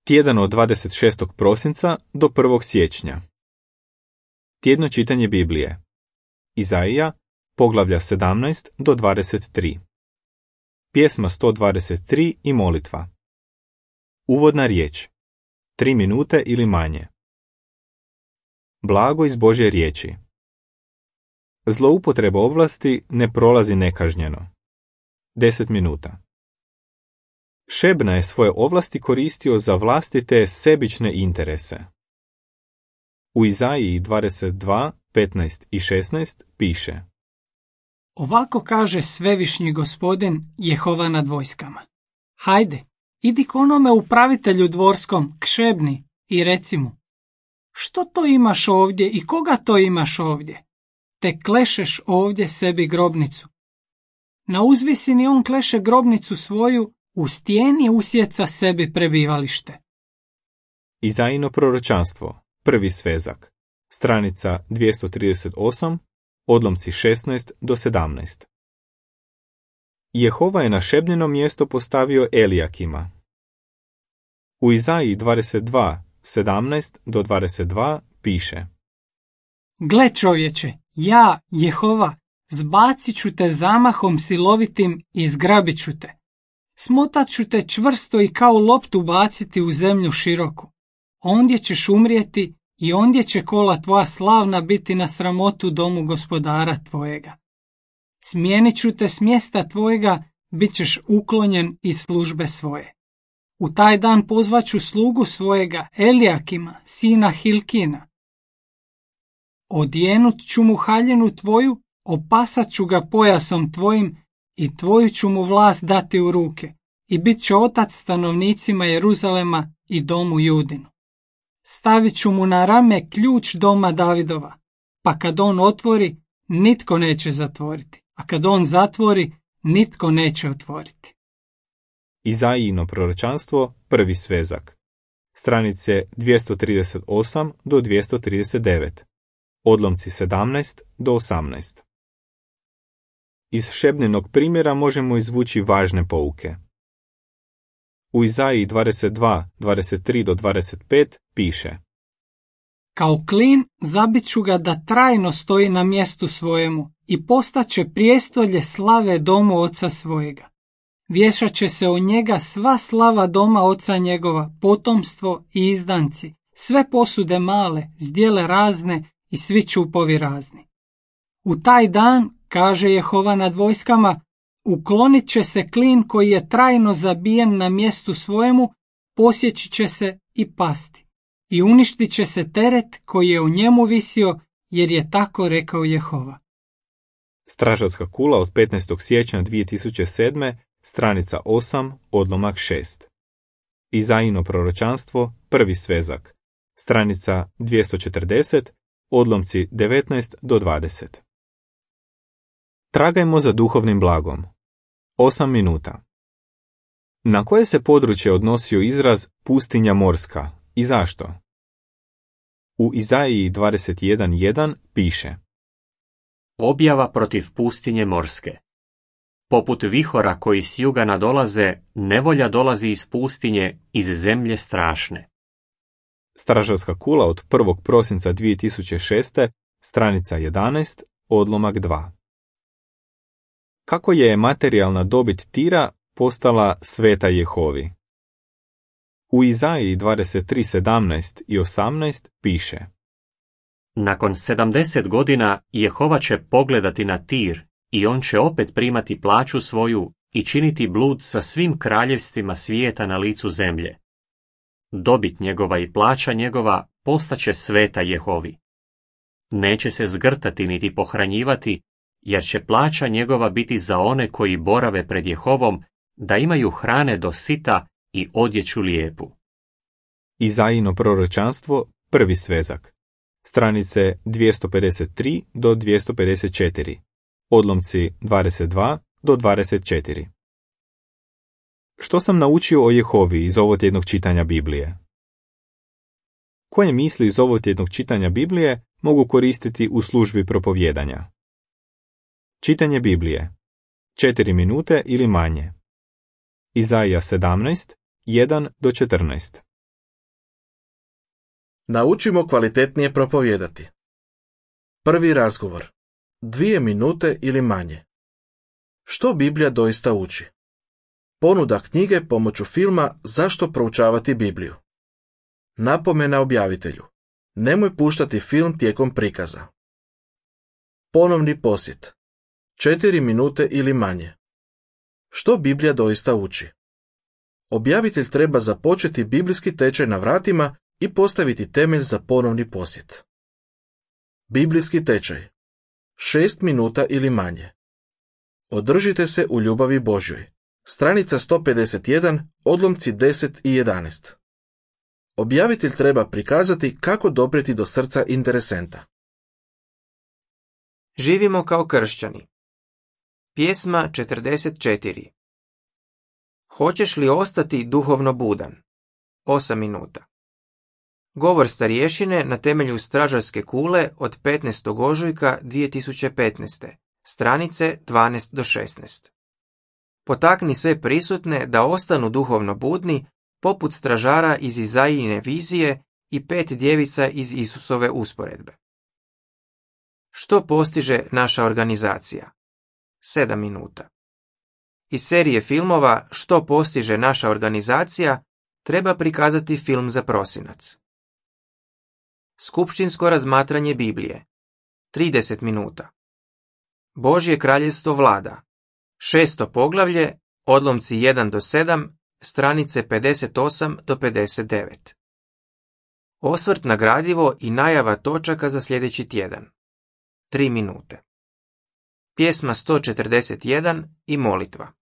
Tjedan od 26. prosinca do 1. siječnja. Tjedno čitanje Biblije. Izaija, poglavlja 17 do 23. Pjesma 123 i molitva. Uvodna riječ. 3 minute ili manje. Blago iz Božje riječi. Zloupotreba ovlasti ne prolazi nekažnjeno. 10 minuta. Šebna je svoje ovlasti koristio za vlastite sebične interese. U Izaiji 22, 15 i 16 piše: Ovako kaže svevišnji gospodin Jehova nad vojskama. Hajde, idi k onome upravitelju dvorskom, k Šebni, i reci mu: što to imaš ovdje i koga to imaš ovdje? Te klešeš ovdje sebi grobnicu. Na uzvisini on kleše grobnicu svoju, u stijeni usjeca sebi prebivalište. Izaijino proročanstvo, prvi svezak, stranica 238, odlomci 16 do 17. Jehova je na Šebnino mjesto postavio Elijakima. U Izaiji 22, 17 do 22 piše: Gle čovječe, ja, Jehova, zbacit ću te zamahom silovitim i zgrabit ću te. Smotat ću te čvrsto i kao loptu baciti u zemlju široku. Ondje ćeš umrijeti i ondje će kola tvoja slavna biti na sramotu domu gospodara tvojega. Smijenit ću te s mjesta tvojega, bit ćeš uklonjen iz službe svoje. U taj dan pozvaću slugu svojega, Elijakima, sina Hilkina. Odjenut ću mu haljinu tvoju, opasat ću ga pojasom tvojim i tvoju ću mu vlast dati u ruke i bit će otac stanovnicima Jeruzalema i domu Judinu. Stavit ću mu na rame ključ doma Davidova, pa kad on otvori, nitko neće zatvoriti, a kad on zatvori, nitko neće otvoriti. Izaijino proročanstvo, prvi svezak, stranice 238 do 239, odlomci 17 do 18. Iz Šebninog primjera možemo izvući važne pouke. U Izaiji 22, 23 do 25 piše: Kao klin zabit ću ga da trajno stoji na mjestu svojemu i postaće prijestolje slave domu oca svojega. Vješat će se o njega sva slava doma oca njegova, potomstvo i izdanci, sve posude male, zdjele razne i svi čupovi razni. U taj dan, kaže Jehova nad vojskama, uklonit će se klin koji je trajno zabijen na mjestu svojemu, posjeći će se i pasti. I uništit će se teret koji je u njemu visio, jer je tako rekao Jehova. Stražarska kula od 15. siječnja 2007. stranica 8, odlomak 6. Izaijino proročanstvo, prvi svezak, stranica 240, odlomci 19 do 20. Tragajmo za duhovnim blagom. 8 minuta. Na koje se područje odnosio izraz pustinja morska i zašto? U Izaiji 21.1 piše: Objava protiv pustinje morske. Poput vihora koji s juga nadolaze, nevolja dolazi iz pustinje, iz zemlje strašne. Stražarska kula od 1. prosinca 2006. stranica 11, odlomak 2. Kako je materijalna dobit Tira postala sveta Jehovi? U Izaiji 23.17 i 18 piše: Nakon 70 godina Jehova će pogledati na Tir i on će opet primati plaću svoju i činiti blud sa svim kraljevstvima svijeta na licu zemlje. Dobit njegova i plaća njegova postaće sveta Jehovi. Neće se zgrtati niti pohranjivati, jer će plaća njegova biti za one koji borave pred Jehovom, da imaju hrane do sita i odjeću lijepu. Izaijino proročanstvo, prvi svezak, stranice 253 do 254, odlomci 22 do 24. Što sam naučio o Jehovi iz ovotjednog čitanja Biblije? Koje misli iz ovotjednog čitanja Biblije mogu koristiti u službi propovjedanja? Čitanje Biblije. 4 minute ili manje. Izaija 17, 1 do 14. Naučimo kvalitetnije propovijedati. Prvi razgovor. 2 minute ili manje. Što Biblija doista uči? Ponuda knjige pomoću filma Zašto proučavati Bibliju. Napomena objavitelju. Nemoj puštati film tijekom prikaza. Ponovni posjet. 4 minute ili manje. Što Biblija doista uči? Objavitelj treba započeti biblijski tečaj na vratima i postaviti temelj za ponovni posjet. Biblijski tečaj. 6 minuta ili manje. Održite se u ljubavi Božjoj. Stranica 151, odlomci 10 i 11. Objavitelj treba prikazati kako doprijeti do srca interesenta. Živimo kao kršćani. Pjesma 44. Hoćeš li ostati duhovno budan? 8 minuta. Govor starješine na temelju stražarske kule od 15. ožujka 2015. Stranice 12 do 16. Potakni sve prisutne da ostanu duhovno budni poput stražara iz Izajine vizije i 5 djevica iz Isusove usporedbe. Što postiže naša organizacija? 7 minuta. Iz serije filmova Što postiže naša organizacija treba prikazati film za prosinac. Skupštinsko razmatranje Biblije. 30 minuta. Božje kraljevstvo vlada. 6. poglavlje, odlomci 1 do 7, stranice 58 do 59. Osvrt na gradivo i najava točaka za sljedeći tjedan. 3 minute. Pjesma 141 i molitva.